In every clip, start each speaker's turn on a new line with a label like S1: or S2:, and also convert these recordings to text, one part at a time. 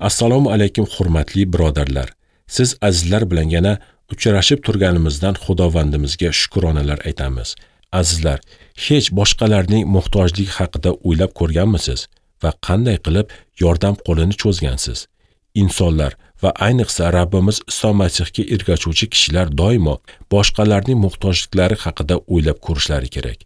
S1: Assalomu alaykum hurmatli birodarlar. Siz azizlar bilan yana uchrashib turganimizdan Xudovandimizga shukronalar aytamiz. Azizlar, hech boshqalarning muhtojligi haqida o'ylab ko'rganmisiz va qanday qilib yordam qo'lini cho'zgansiz? Insonlar va ayniqsa Rabbimiz Iso Masihga ergashuvchi kishilar doimo boshqalarning muhtojliklari haqida o'ylab ko'rishlari kerak.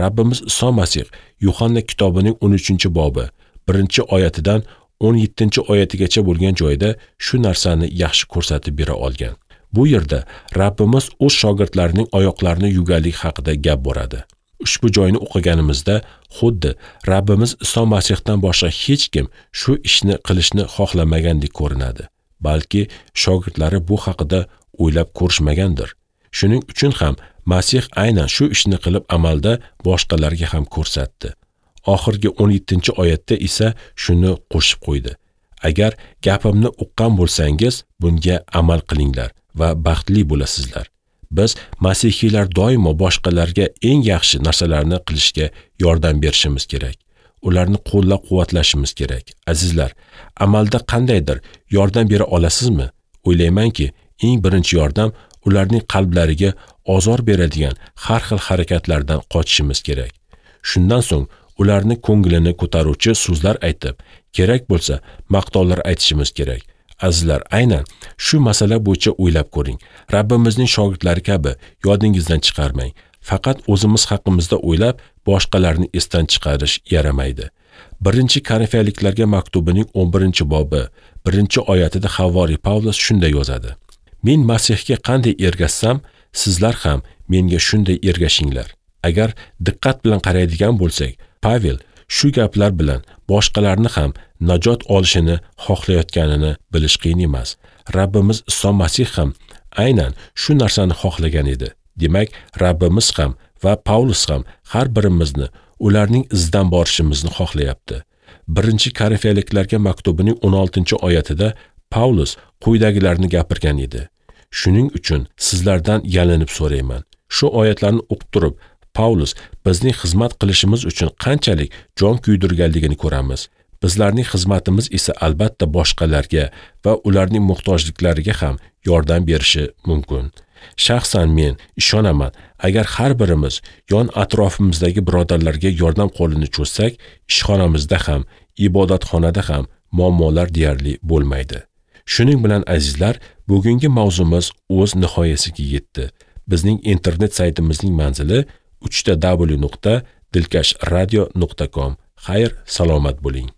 S1: Rabbimiz Iso Masih Yuhanna kitobining 13-bobi 1-oyatidan 17-oyatigacha bo'lgan joyda shu narsani yaxshi ko'rsatib bera olgan. Bu yerda Rabbimiz o'z shogirdlarining oyoqlarini yuvganligi haqida gap boradi. Ushbu joyni o'qiganimizda xuddi Rabbimiz Iso Masihdan boshqa hech kim shu ishni qilishni xohlamagandek ko'rinadi. Balki shogirdlari bu haqida o'ylab ko'rishmagandir. Shuning uchun ham Masih aynan shu ishni qilib amalda boshqalarga ham ko'rsatdi. Oxirgi 17-oyatda esa shuni qo'shib qo'ydi: Agar gapimni uqqan bo'lsangiz, bunga amal qilinglar va baxtli bo'lasizlar. Biz masihiylar doimo boshqalarga eng yaxshi narsalarni qilishga yordam berishimiz kerak. Ularni qo'llab-quvvatlashimiz kerak. Azizlar, amalda qandaydir yordam bera olasizmi? O'ylaymanki, eng birinchi yordam ularning qalblariga ozor beradigan har xil harakatlardan qochishimiz kerak. Shundan so'ng ularni ko'nglini ko'taruvchi so'zlar aytib, kerak bo'lsa maqtovlar aytishimiz kerak. Azizlar, aynan shu masala bo'yicha o'ylab ko'ring. Rabbimizning shogirdlari kabi yodingizdan chiqarmang. Faqat o'zimiz haqimizda o'ylab, boshqalarni esdan chiqarish yaramaydi. 1-Korinfiyaliklarga maktubining 11-bobi 1-oyatida Havoriy Pavlus shunday yozadi: Men Masihga qanday ergashsam, sizlar ham menga shunday ergashinglar. Agar diqqat bilan qaraydigan bo'lsak, Pavel shu gaplar bilan boshqalarni ham najot olishini xohlayotganini bilish qiyin emas. Rabbimiz Iso Masih ham aynan shu narsani xohlagan edi. Demak, Rabbimiz ham va Pavlus ham har birimizni ularning izidan borishimizni xohlayapti. 1-Korinfiyaliklarga maktubining 16-oyatida Pavlus quyidagilarni gapirgan edi: Shuning uchun sizlardan yalinib so'rayman. Shu oyatlarni o'qib turib, Pavlus bizning xizmat qilishimiz uchun qanchalik jon kuydirganligini ko'ramiz. Bizlarning xizmatimiz esa albatta boshqalarga va ularning muhtojliklariga ham yordam berishi mumkin. Shaxsan men ishonaman, agar har birimiz yon atrofimizdagi birodarlarga yordam qo'lini cho'zsak, ishxonamizda ham, ibodatxonada ham muammolar deyarli bo'lmaydi. Shuning bilan azizlar, bugungi mavzumiz o'z nihoyasiga yetdi. Bizning internet saytimizning manzili www.dilkashradio.com. Xayr, salomat bo'ling.